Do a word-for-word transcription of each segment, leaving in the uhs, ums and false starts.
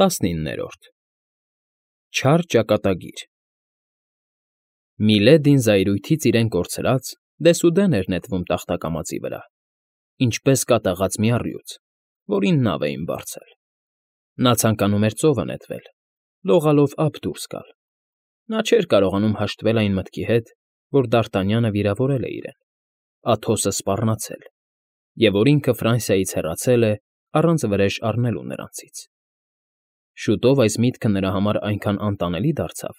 ՏԱՍՆԻՆՆԵՐՈՐԴ ՉԱՐ ՃԱԿԱՏԱԳԻՐ Միլեդին զայրույթից իրեն կորցրած, դեսուդեն էր նետվում տախտակամածի վրա, ինչպես կատաղած մի առյուծ, որին նավ էին բարձել. նա ցանկանում էր ծովը նետվել, լողալով ափ դուրս գալ. նա չէր կարողանում հաշտվել այն մտքի հետ, որ Դարտանյանը վիրավորել է իրեն, Աթոսը սպառնացել, և որ ինքը Ֆրանսիայից հեռացել է առանց վրեժ առնելու նրանցից. շուտով այս միտքը նրա համար այնքան անտանելի դարձավ,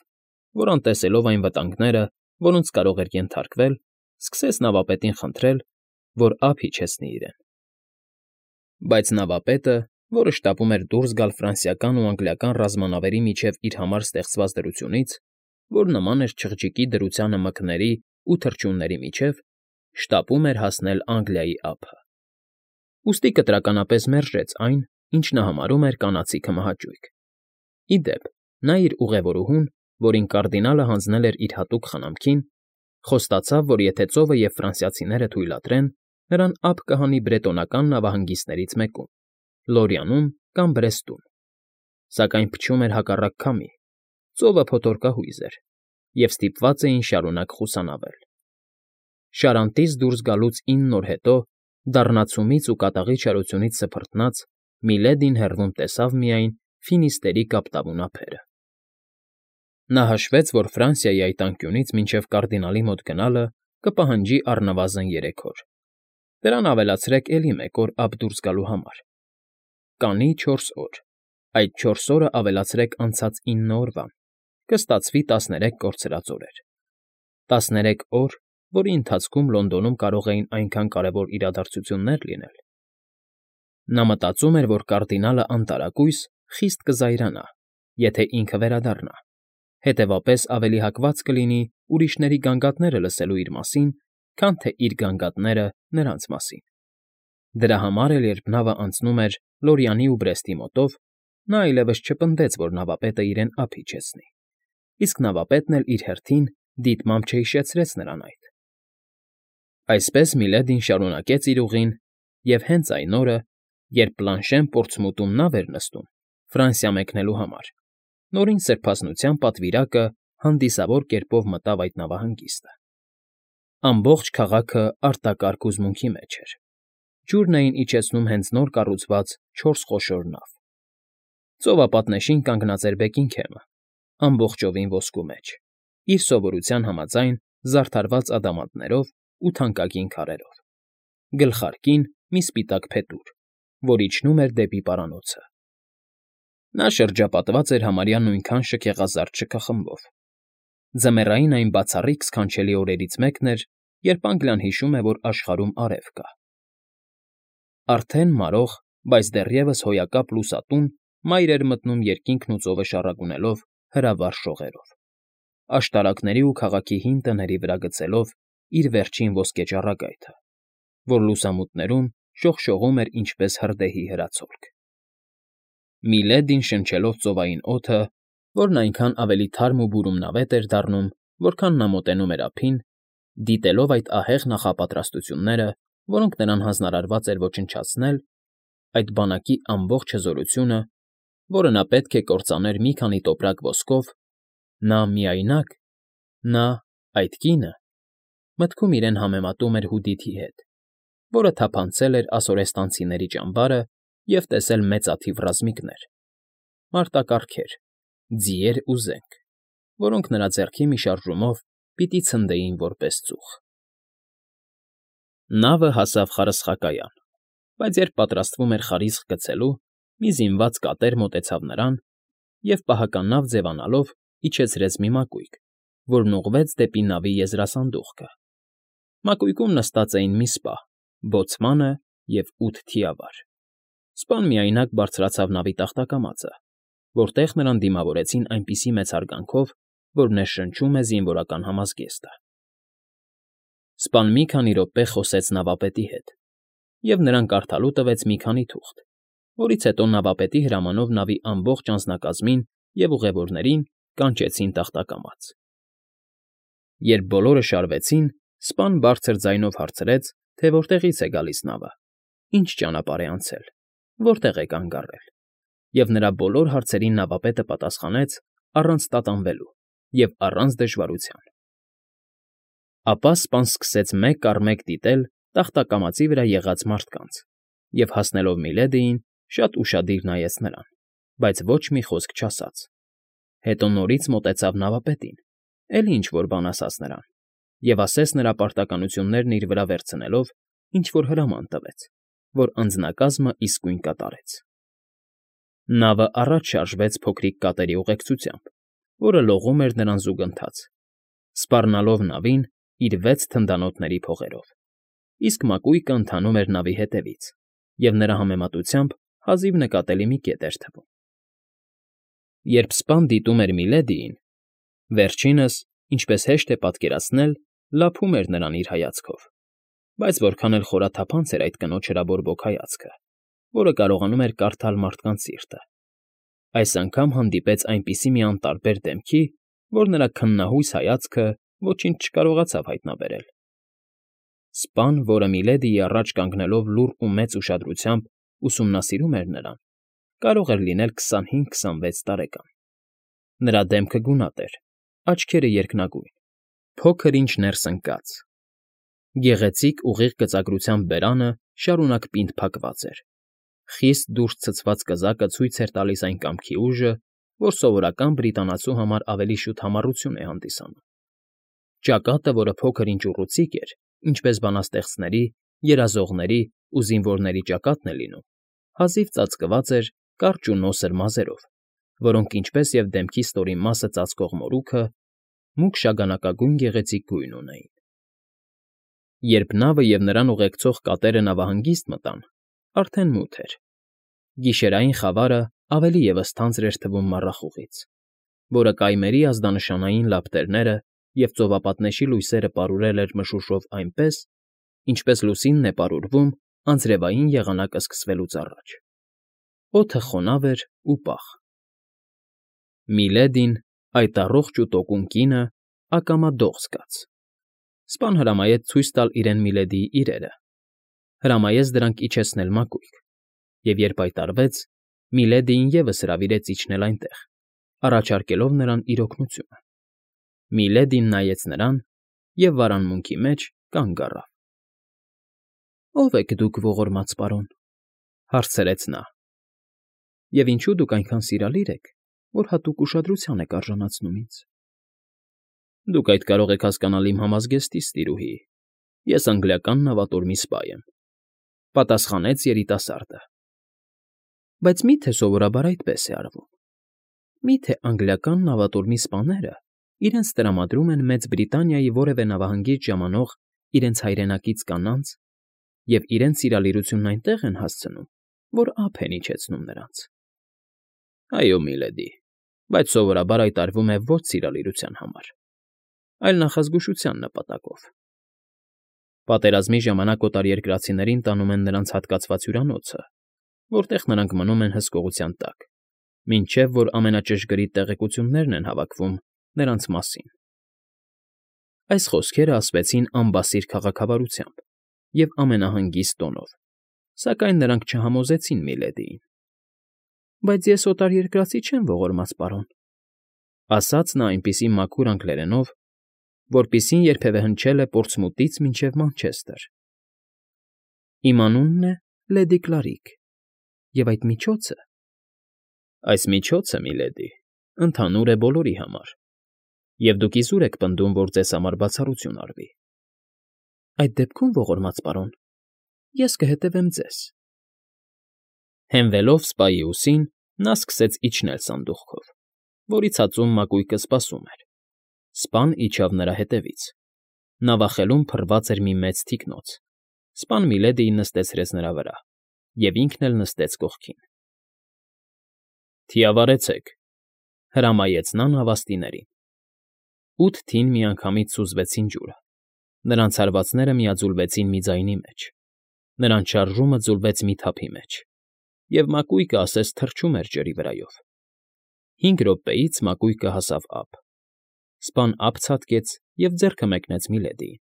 որ անտեսելով այն վտանգները, որոնց կարող էր ենթարկվել, սկսեց նավապետին խնդրել, որ ափ իջեցնի իրեն. բայց նավապետը, որը շտապում էր դուրս գալ ֆրանսիական ու անգլիական ռազմանավերի միջև իր համար ստեղծված դրությունից, որ նման էր չղջիկի դրությանը մկների ու թռչունների միջև, շտապում էր հասնել Անգլիայի ափը. ուստի կտրականապես մերժեց այն, ինչ նա համարում էր կանացիքը մահաճույք. ի դեպ, նա իր ուղևորուհուն, որին կարդինալը հանձնել էր իր հատուկ խնամքին, խոստացավ, որ եթե ծովը և ֆրանսիացիները թույլատրեն, նրան ափ կհանի բրետոնական նավահանգիստներից մեկում՝ Լորյանում կամ Բրեստում, սակայն փչում էր հակառակ քամի, ծովը փոթորկահույզ էր, և ստիպված էին շարունակ խուսանավել. Շարանտից դուրս գալուց ինն օր հետո, դառնացումից ու կատաղի չարությունից սփռտնած, Միլեդին հեռվում տեսավ միայն Ֆինիստերի կապտավուն ափերը. նա հաշվեց, որ Ֆրանսիայի այդ անկյունից մինչև կարդինալի մոտ գնալը կպահանջի առնվազն երեք օր, դրան ավելացրեք էլի մեկ օր ափ դուրս գալու համար. կանի չորս օր, այդ չորս օրը ավելացրեք անցած ինը օրվան, կստացվի տասներեք կորցրած օրեր, տասներեք օր, որի ընթացքում Լոնդոնում կարող էին այնքան կարևոր իրադարձություններ լինել. նա մտածում էր, որ կարդինալը անտարակույս խիստ կզայրանա, եթե ինքը վերադառնա, հետևապես ավելի հակված կլինի ուրիշների գանգատները լսելու իր մասին, քան թե իր գանգատները նրանց մասին. դրա համար էլ, երբ նավը անցնում էր Լորյանի ու Բրեստի մոտով, նա այլևս չպնդեց, որ նավապետը իրեն ափ իջեցնի, իսկ նավապետն էլ իր հերթին դիտմամբ չհիշեցրեց նրան այդ. Այսպես Միլեդին շարունակեց իր ուղին, և հենց այն օրը, երբ Պլանշեն Պորտսմութում նավ էր նստում Ֆրանսիա մեկնելու համար, նորին սրբազնության պատվիրակը հանդիսավոր կերպով մտավ այդ նավահանգիստը. ամբողջ քաղաքը արտակարգ հուզմունքի մեջ էր. ջուրն էին իջեցնում հենց նոր կառուցված չորս խոշոր նավ. ծովապատնեշին կանգնած էր Բեքինգհեմը, ամբողջովին ոսկու մեջ, իր սովորության համաձայն զարդարված ադամանդներով ու թանկագին քարերով, գլխարկին մի սպիտակ փետուր, որ իջնում էր դեպի պարանոցը. նա շրջապատված էր համարյա նույնքան շքեղազարդ շքախմբով. ձմեռային այն բացառիկ սքանչելի օրերից մեկն էր, երբ Անգլիան հիշում է, որ աշխարհում արև կա. արդեն մարող, բայց դեռևս հոյակապ լուսատուն մայր էր մտնում երկինքն ու ծովը շառագունելով հրավառ շողերով, աշտարակների ու քաղաքի հին տների վրա գցելով իր վերջին ոսկե ճառագայթը, որ լուսամուտներում շողշողում էր ինչպես հրդեհի հրացոլք. Միլեդին շնչելով ծովային օդը, որն այնքան ավելի թարմ ու բուրումնավետ էր դառնում, որքան նա մոտենում էր ափին, դիտելով այդ ահեղ նախապատրաստությունները, որոնք նրան հանձնարարված էր ոչնչացնել, այդ բանակի ամբողջ հզորությունը, որը նա պետք է կործաներ մի քանի տոպրակ ոսկով, նա միայնակ, նա, այդ կինը, մտքում իրեն համեմատում էր Հուդիթի հետ, որը թափանցել էր ասորեստանցիների ճամբարը և տեսել մեծաթիվ ռազմիկներ, մարտակառքեր, ձիեր ու զենք, որոնք նրա ձեռքի մի շարժումով պիտի ցնդեին որպես ծուխ. Նավը հասավ խարսխակայան, բայց երբ պատրաստվում էր խարիսխ գցելու, մի զինված կատեր մոտեցավ նրան և, պահականավ ձևանալով, իջեցրեց մի մակույկ, որն ուղղվեց դեպի նավի եզրասանդուղքը. մակույկում նստած էին մի սպա, բոցմանը և ութ թիավար. սպան միայնակ բարձրացավ նավի տախտակամածը, որտեղ նրան դիմավորեցին այնպիսի մեծ հարգանքով, որ ներշնչում է զինվորական համազգեստը. Սպան մի քանի րոպե խոսեց նավապետի հետ, և նրան կարդալու տվեց մի քանի թուղթ, որից հետո նավապետի հրամանով նավի ամբողջ անձնակազմին և ուղևորներին կանչեցին տախտակամաց. Երբ բոլորը շարվեցին, սպան բարձր ձայնով հարցրեց, թե որտեղից է գալիս նավը, ինչ ճանապարհ է անցել, որտեղ է կանգ առել, և նրա բոլոր հարցերին նավապետը պատասխանեց առանց տատանվելու և առանց դժվարության։ Ապա սպան սկսեց մեկ առ մեկ դիտել տախտակամածի վրա եղած մարդկանց և, հասնելով Միլեդիին, շատ ուշադիր նայեց նրան, բայց ոչ մի խոսք չասաց։ Հետո նորից մոտեցավ նավապետին, էլի ինչ֊որ բան ասաց նրան և ասես նրա պարտականություններն իր վրա վերցնելով ինչ֊որ հրաման տվեց, որ անձնակազմը իսկույն կատարեց։ Նավը առաջ շարժվեց փոքրիկ կատերի ուղեկցությամբ, որը լողում էր նրան զուգընթաց, սպառնալով նավին իր վեց թնդանոթների փողերով, իսկ մակույկը ընթանում էր նավի հետևից և նրա համեմատությամբ հազիվ նկատելի մի կետ էր թվում։ Երբ սպան դիտում էր Միլեդիին, վերջինս, ինչպես հեշտ է պատկերացնել, լափում էր նրան իր հայացքով, բայց որքան էլ խորաթափանց էր այդ կնոջ հրաբորբոք հայացքը, որը կարողանում էր կարդալ մարդկանց սիրտը, այս անգամ հանդիպեց այնպիսի մի անտարբեր դեմքի, որ նրա քննահույս հայացքը ոչինչ չկարողացավ հայտնաբերել։ Սպան, որը Միլեդիի առաջ կանգնելով լուռ ու մեծ ուշադրությամբ ուսումնասիրում էր նրան, կարող էր լինել քսանհինգ֊քսանվեց տարեկան։ Նրա դեմքը գունատ էր, աչքերը երկնագույն, փոքր ինչ ներս ընկած։ Գեղեցիկ ուղիղ գծագրությամբ բերանը շարունակ պինդ փակված էր։ Խիստ դուրս ցցված կզակը ցույց էր տալիս այն կամքի ուժը, որ սովորական բրիտանացու համար ավելի շուտ համառություն է հանդիսանում։ Ճակատը, որը փոքր ինչ ուռուցիկ էր, ինչպես բանաստեղծների, երազողների ու զինվորների ճակատն է լինում, հազիվ ծածկված էր կարճ ու նոսր մազերով, որոնք, ինչպես և դեմքի ստորին մասը ծածկող մորուքը, մուգ շագանակագույն գեղեցիկ գույն ունեին։ Երբ նավը և նրան ուղեկցող կատերը նավահանգիստ մտան, արդեն մութ էր։ Գիշերային խավարը ավելի ևս թանձր էր թվում մառախուղից, որը կայմերի ազդանշանային լապտերները և ծովապատնեշի լույսերը պարուրել էր մշուշով այնպես, ինչպես լուսինն է պարուրվում անձրևային եղանակը սկսվելուց առաջ։ Օդը խոնավ էր ու պաղ։ Միլեդին, այդ առողջ ու տոկուն կինը, ակամա դող զգաց։ Սպան հրամայեց ցույց տալ իրեն Միլեդիի իրերը, հրամայեց դրանք իջեցնել մակույկ, և երբ այդ արվեց, Միլեդիին ևս հրավիրեց իջնել այնտեղ, առաջարկելով նրան իր օգնությունը։ Միլեդին նայեց նրան և վարանմունքի մեջ կանգ առավ։ ֊ Ո՞վ եք դուք, ողորմած պարոն,֊ հարցրեց նա,֊ և ինչո՞ւ դուք այնքան սիրալիր եք, որ հատուկ ուշադրության եք արժանացնում ինձ։ ֊ Դուք այդ կարող եք հասկանալ իմ համազգեստից, տիրուհի, ես անգլիական նավատորմի սպա եմ,֊ պատասխանեց երիտասարդը։ ֊ Բայց մի՞թե սովորաբար այդպես է արվում։ Մի՞թե անգլիական նավատորմի սպաները իրենց տրամադրում են Մեծ Բրիտանիայի որևէ նավահանգիճ ժամանող իրենց հայրենակից կանանց և իրենց սիրալիրությունն այնտեղ են հասցնում, որ ափ են իջեցնում նրանց։ ֊ Այո, միլեդի, բայց սովորաբար այդ արվում է ոչ սիրալիրության համար, այլ նախազգուշության նպատակով։ Պատերազմի ժամանակ օտարերկրացիներին տանում են նրանց հատկացված հյուրանոցը, որտեղ նրանք մնում են հսկողության տակ, մինչև որ ամենաճշգրիտ տեղեկություններն են հավաքվում նրանց մասին։ Այս խոսքերը ասվեցին անբասիր քաղաքավարությամբ և ամենահանգիստ տոնով, սակայն նրանք չհամոզեցին Միլեդիին։ ֊ Բայց ես օտարերկրացի չեմ, ողորմած պարոն,֊ ասաց նա այնպիսի մաքուր անգլերենով, որպիսին երբևէ հնչել է Պորտսմութից մինչև Մանչեսթեր։ Իմ անունն է լեդի Կլարիկ, և այդ միջոցը… ֊ Այս միջոցը, միլեդի, ընդհանուր է բոլորի համար, և դուք իզուր եք պնդում, որ ձեզ համար բացառություն արվի։ ֊ Այդ դեպքում, ողորմած պարոն, ես կհետևեմ ձեզ։ Հենվելով սպայի ուսին, նա սկսեց իջնել սանդուղքով, որի ցածում մակույկը սպասում էր։ Սպան իջավ նրա հետևից։ Նավախելում փռված էր մի մեծ թիկնոց։ Սպան Միլեդիին նստեցրեց նրա վրա, և ինքն էլ նստեց կողքին։ ֊ Թիավարեցեք,֊ հրամայեց նա նավաստիներին։ Ութ թին միանգամից սուզվեցին ջուրը, նրանց հարվածները միաձուլվեցին մի ձայնի մեջ, նրանց շարժումը ձուլվեց մի թափի մեջ, և մակույկը ասես թռչում էր ջրի վրայով։ Հինգ րոպեից մակույկը հասավ ափ։ Սպան ափ ցատկեց և ձեռքը մեկնեց Միլեդիին։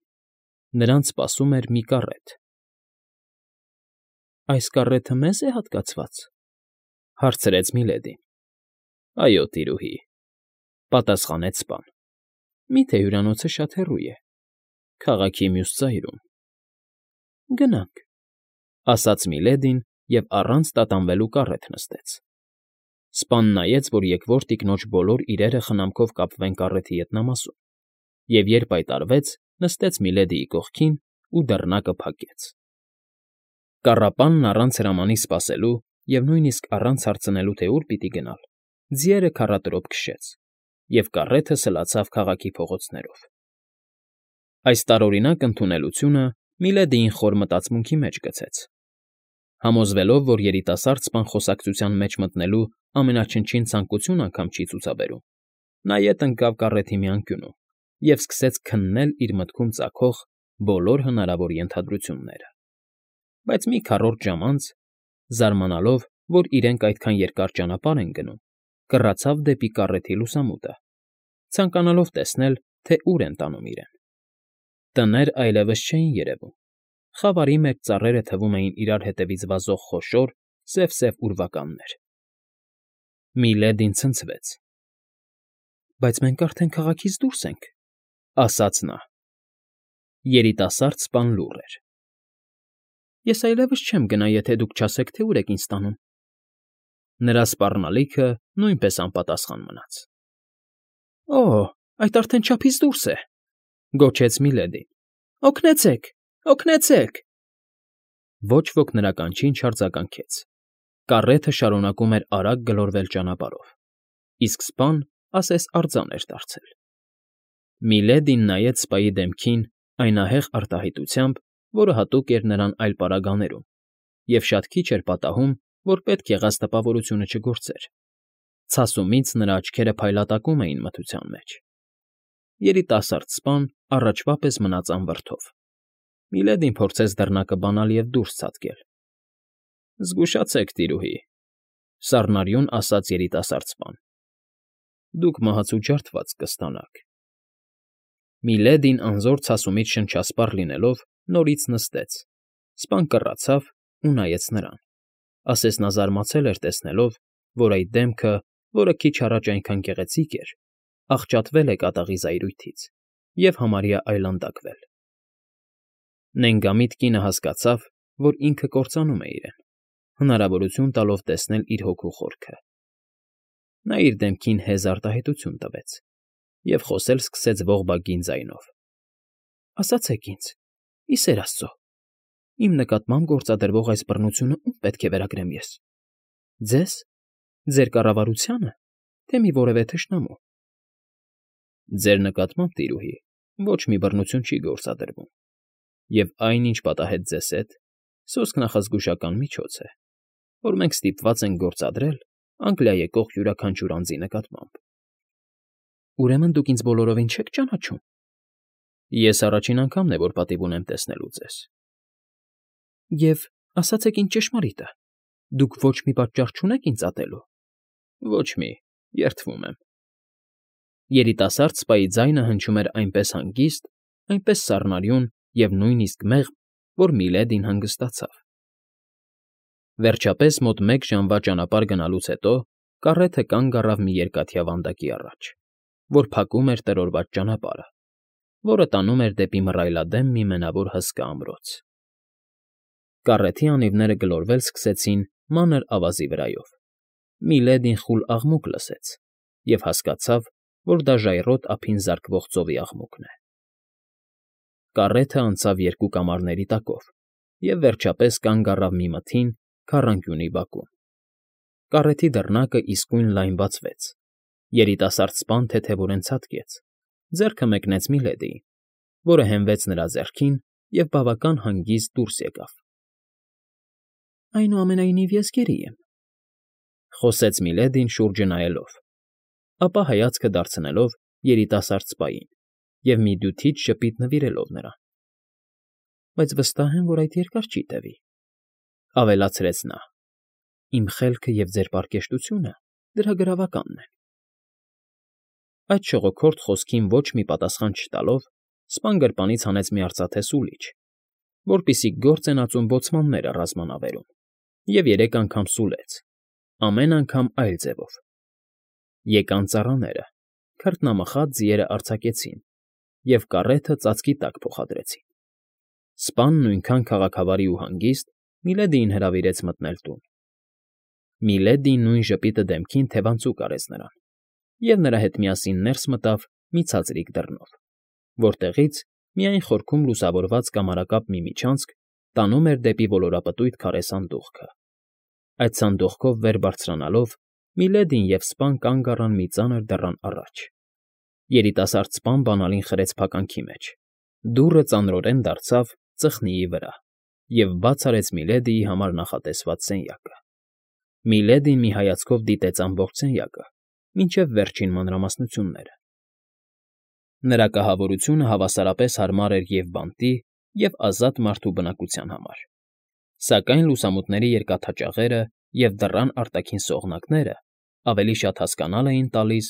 Նրանց սպասում էր մի կառետ։ ֊ Այս կառեթը մե՞զ է հատկացված,֊ Հարցրեց Միլեդին։ Այո, տիրուհի, պատասխանեց սպան։ Մի՞թե հյուրանոցը շատ հեռու է։ Քաղաքի մյուս ծայրում։ Գնանք, ասաց Միլեդին և առանց տատանվելու կառետ նստեց։ Սպան նայեց, որ եկվոր տիկնոջ բոլոր իրերը խնամքով կապվեն կառեթի ետնամասում, և երբ այդ արվեց, նստեց Միլեդիի կողքին ու դռնակը փակեց։ Կառապանն առանց հրամանի սպասելու և նույնիսկ առանց հարցնելու, թե ուր պիտի գնալ, ձիերը քառատրոփ քշեց, և կառեթը սլացավ քաղաքի փողոցներով։ Այս տարօրինակ ընդունելությունը Միլեդիին խոր մտածմունքի մեջ գցեց։ Համոզվելով, որ երիտասարդ սպան խոսակցության մեջ մտնելու ամենաչնչին ցանկություն անգամ չի ցուցաբերում, նա ետ ընկավ կառեթի մի անկյունում և սկսեց քննել իր մտքում ծագող բոլոր հնարավոր ենթադրությունները։ Բայց մի քառորդ ժամ անց, զարմանալով, որ իրենք այդքան երկար ճանապարհ են գնում, կռացավ դեպի կառեթի լուսամուտը, ցանկանալով տեսնել, թե ուր են տանում իրեն։ Տներ այլևս չէին երևում, խավարի մեջ ծառերը թվում էին իրար հետևից վազող խոշոր, սև֊սև ուրվականներ։ Միլեդին ցնցվեց։ Բայց մենք արդեն քաղաքից դուրս ենք, ասաց նա։ Երիտասարդ սպան լուռ էր։ Ես այլևս չեմ գնա, եթե դուք չասեք, թե ուր եք ինձ տանում։ Նրա սպառնալիքը նույնպես անպատասխան մնաց։ Օ՜, այդ արդեն չափից դուրս է, գոչեց Միլեդին։ Օգնեցե՛ք, օգնեցե՛ք։ Ոչ ոք նրա կանչին չարձագանքեց։ Կառեթը շարունակում էր արագ գլորվել ճանապարհով, իսկ սպան ասես արձան էր դարձել։ Միլեդին նայեց սպայի դեմքին այն ահեղ արտահայտությամբ, որը հատուկ էր նրան այլ պարագաներում, և շատ քիչ էր պատահում, որ պետք եղած տպավորությունը չգործեր։ Ցասումից նրա աչքերը փայլատակում էին մթության մեջ։ Երիտասարդ սպան առաջվա պես մնաց անվրդով։ Միլեդին փորձեց դռնակը բանալ և դուրս ցատկել։ Զգուշացեք, տիրուհի, սառնարյուն ասաց երիտասարդ սպան։ Դուք մահացու ջարդված կստանաք։ Միլեդին անզոր ցասումից շնչասպառ լինելով նորից նստեց, սպան կռացավ ու նայեց նրան, ասես նա զարմացել էր տեսնելով, որ այդ դեմքը, որը քիչ առաջ այնքան գեղեցիկ էր, աղճատվել է կատաղի զայրույթից և համարյա այլանդակվել։ Նենգամիտ կինը հասկացավ, որ ինքը կործանում է իրեն, հնարավորություն տալով տեսնել իր հոգու խորքը։ Նա իր դեմքին հեզ արտահայտություն տվեց և խոսել սկսեց ողբագին ձայնով. Ասացեք ինձ, ի սեր Աստծո, իմ նկատմամբ գործադրվող այս բռնությունը ում պետք է վերագրեմ ես. ձեզ, ձեր կառավարությա՞նը, թե մի որևէ թշնամու։ Ձեր նկատմամբ, տիրուհի, ոչ մի բռնություն չի գործադրվում, և այն, ինչ պատահեց ձեզ հետ, սոսկ նախազգուշական միջոց է, որ մենք ստիպված ենք գործադրել Անգլիա եկող յուրաքանչյուր անձի նկատմամբ։ Ուրեմն դուք ինձ բոլորովին չեք ճանաչում։ Ես առաջին անգամն է, որ պատիվ ունեմ տեսնելու ձեզ։ Եվ ասացեք ինձ ճշմարիտը, դուք ոչ մի պատճառ չունեք ինձ ատելու։ Ոչ մի, երդվում եմ։ Երիտասարդ սպայի ձայնը հնչում էր այնպես հանգիստ, այնպես սառնարյուն և նույնիսկ մեղմ, որ Միլեդին հանգստացավ։ Վերջապես, մոտ մեկ ժամվա ճանապարհ գնալուց հետո կառեթը կանգ առավ մի երկաթյա վանդակի առաջ, որ փակում էր տրորված ճանապարհը, որը տանում էր դեպի մռայլադեմ մի մենավոր հսկա ամրոց։ Կառեթի անիվները գլորվել սկսեցին մանր ավազի վրայով։ Միլեդին խուլ աղմուկ լսեց և հասկացավ, որ դա ժայռոտ ափին զարկվող ծովի աղմուկն է։ Կառեթը անցավ երկու կամարների տակով և, վերջապես, կանգ առավ մի մթին, քառանկյունի բակում։ Կառեթի դռնակը իսկույն լայն բացվեց։ Երիտասարդ սպան թեթևորեն ցատկեց, ձեռքը մեկնեց Միլեդիին, որը հենվեց նրա ձեռքին և բավական հանգիստ դուրս եկավ։ Այնուամենայնիվ ես գերի եմ, խոսեց Միլեդին շուրջը նայելով, ապա հայացքը դարձնելով երիտասարդ սպային և մի դյութիչ ժպիտ նվիրելով նրան։ Բայց վստահ եմ, որ այդ երկար չի տևի, ավելացրեց նա։ Իմ խելքը և ձեր պարկեշտությունը դրա գրավականն են։ Այդ շողոքորթ խոսքին ոչ մի պատասխան չտալով, սպան գրպանից հանեց մի արծաթե սուլիչ, որպիսի գործ են ածում բոցմանները ռազմանավերում, և երեք անգամ սուլեց, ամեն անգամ այլ ձևով։ Եկան ծառաները, քրտնամխած ձիերը արձակեցին և կառեթը ծածկի տակ փոխադրեցին։ Սպան նույնքան քաղաքավարի ու հանգիստ Միլեդիին հրավիրեց մտնել տուն։ Միլեդին նույն ժպիտը դեմքին թևանցուկ արեց նրան, և նրա հետ միասին ներս մտավ մի ցածրիկ դռնով, որտեղից միայն խորքում լուսավորված կամարակապ մի միջանցք տանում էր դեպի ոլորապտույտ քարե սանդուղքը։ Այդ սանդուղքով վեր բարձրանալով Միլեդին և սպան կանգ առան մի ծանր դռան առաջ։ Երիտասարդ սպան բանալին խրեց փականքի մեջ, դուռը ծանրորեն դարձավ ծխնիի վրա և բաց արեց Միլեդիի համար նախատեսված սենյակը։ Միլեդին մի հայացքով դիտեց ամբողջ սենյակը, մինչև վերջին մանրամասնությունները։ Նրա կահավորությունը հավասարապես հարմար էր և բանտի, և ազատ մարդու բնակության համար, սակայն լուսամուտների երկաթաճաղերը և դռան արտաքին սողնակները ավելի շատ հասկանալ էին տալիս,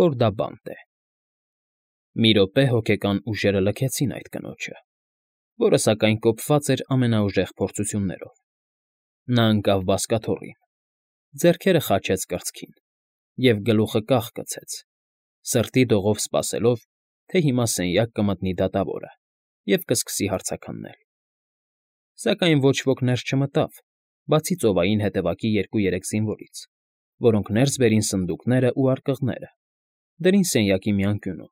որ դա բանտ է։ Մի րոպե հոգեկան ուժերը լքեցին այդ կնոջը, որը սակայն կոփված էր ամենաուժեղ փորձություններով։ Նա ընկավ բազկաթոռին, ձեռքերը խաչեց կրծքին և գլուխը կախ գցեց, սրտի դողով սպասելով, թե հիմա սենյակ կմտնի դատավորը և կսկսի հարցաքննել։ Սակայն ոչ ոք ներս չմտավ, բացի ծովային հետևակի երկու֊երեք զինվորից, որոնք ներս բերին սնդուկներն ու արկղները, դրին սենյակի մի անկյունում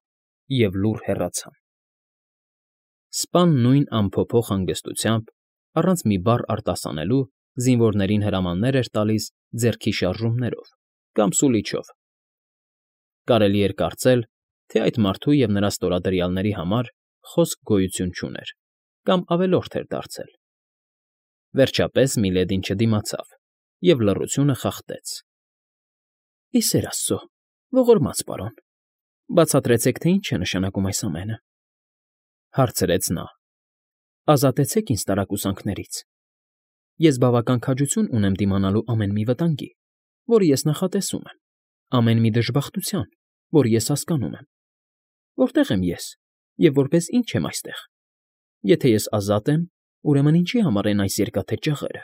և լուռ հեռացան։ Սպան նույն անփոփոխ հանգստությամբ, առանց մի բառ արտասանելու, զինվորներին հրամաններ էր տալիս ձեռքի շարժումներով կամ սուլիչով։ Կարելի էր կարծել, թե այդ մարդու և նրա ստորադրյալների համար խոսք գոյություն չուներ կամ ավելորդ էր դարձել։ Վերջապես Միլեդին չդիմացավ և լռությունը խախտեց։ ֊ Ի սեր աստծո, ողորմած պարոն, բացատրեցեք, թե ինչ է նշանակում այս ամենը,֊ հարցրեց նա։ Ազատեցեք ինձ տարակուսանքներից։ Ես բավական քաջություն ունեմ դիմանալու ամեն մի վտանգի, որը ես նախատեսում եմ, ամեն մի դժբախտության, որը ես հասկանում եմ։ Որտե՞ղ եմ ես և որպես ինչ եմ այստեղ։ Եթե ես ազատ եմ, ուրեմն ինչի համար են այս երկաթե ճաղերը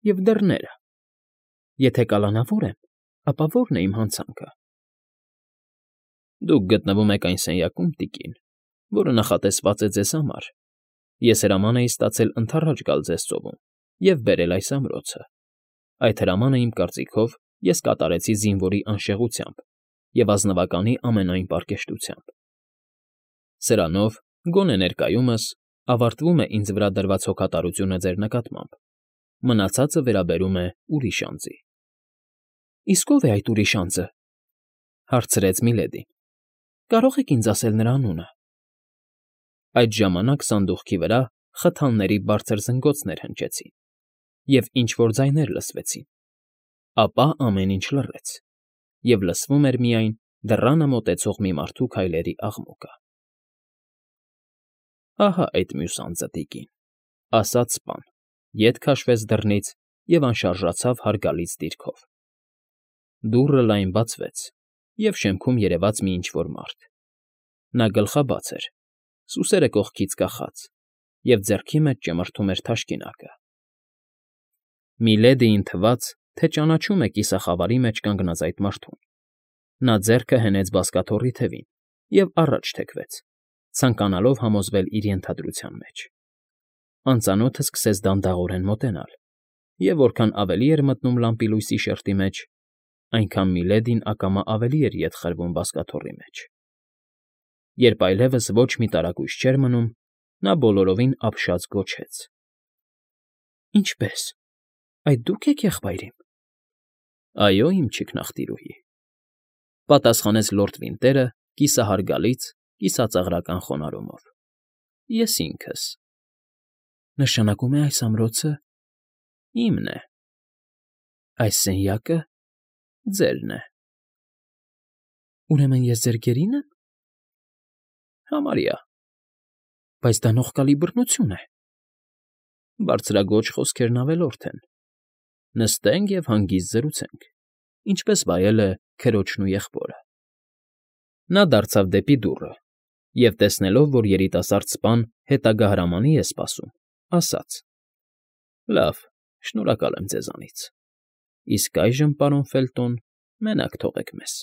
և դռները։ Եթե կալանավոր եմ, ապա ո՞րն է իմ հանցանքը։ Դուք գտնվում եք այն սենյակում, տիկին, որը նախատեսված է ձեզ համար։ Ես հրաման էի ստացել ընդառաջ գալ ձեզ ծովում և բերել այս ամրոցը։ Այդ հրամանը, իմ կարծիքով, ես կատարեցի զինվորի անշեղությամբ և ազնվականի ամենայն պարկեշտությամբ։ Սրանով, գոնե ներկայումս, ավարտվում է ինձ վրա դրված հոգատարությունը ձեր նկատմամբ, մնացածը վերաբերում է ուրիշ անձի։ ֊ Իսկ ո՞վ է այդ ուրիշ անձը,֊ հարցրեց Միլեդին։ Կարո՞ղ եք ինձ ասել նրա անունը։ Այդ ժամանակ սանդուղքի վրա խթանների բարձր զնգոցներ հնչեցին, և ինչ֊որ ձայներ լսվեցին։ Ապա ամեն ինչ լռեց, և լսվում էր միայն դռանը մոտեցող մի մարդու քայլերի աղմուկը։ ֊ Ահա այդ մյուս անձը, տիկին,֊ ասաց սպան, ետ քաշվեց դռնից և անշարժացավ հարգալից դիրքով։ Դուռը լայն բացվեց, և շեմքում երևաց մի ինչ֊որ մարդ։ Նա գլխաբաց էր, սուսերը կողքից կախած, և ձեռքի մեջ ճմրթում էր թաշկինակը։ Միլեդիին թվաց, թե ճանաչում է կիսախավարի մեջ կանգնած այդ մարդուն։ Նա ձեռքը հենեց բազկաթոռի թևին և առաջ թեքվեց, ցանկանալով համոզվել իր ենթադրության մեջ։ Անծանոթը սկսեց դանդաղորեն մոտենալ, և որքան ավելի էր մտնում լամպի լույսի շերտի մեջ, այնքան Միլեդին ակամա ավելի էր ետ խրվում բազկաթոռի մեջ։ Երբ այլևս ոչ մի տարակույս չէր մնում, նա բոլորովին ապշած գոչեց. ֊ Ինչպե՞ս, այդ դու՞ք եք եղբայր իմ։ ֊ Այո, իմ չիքնաղտիրուհի,֊ պատասխանեց լորդ Վինտերը կիսահարգալից, կիսածաղրական խոնարհումով,֊ ես ինքս։ ֊ Նշանակում է այս ամրոցը… իմն է։ ֊ Այս սենյակը… ձերն է։ ֊ Ուրեմն ես ձեր գերի՞ն եմ։ ֊ Համարյա։ ֊ Բայց դա նողկալի բռնություն է։ ֊ Բարձրաձոչ խոսքերն ավելորդ են։ Նստենք և հանգիստ զրուցենք, ինչպես վայել է քրոջն ու եղբորը։ Նա դարձավ դեպի դուռը և, տեսնելով, որ երիտասարդ սպան հետագա հրամանի է սպասում, ասաց. ֊ Լավ, շնորհակալ եմ ձեզանից։ Իսկ այժմ, պարոն Ֆելտոն, մենակ թողեք մեզ։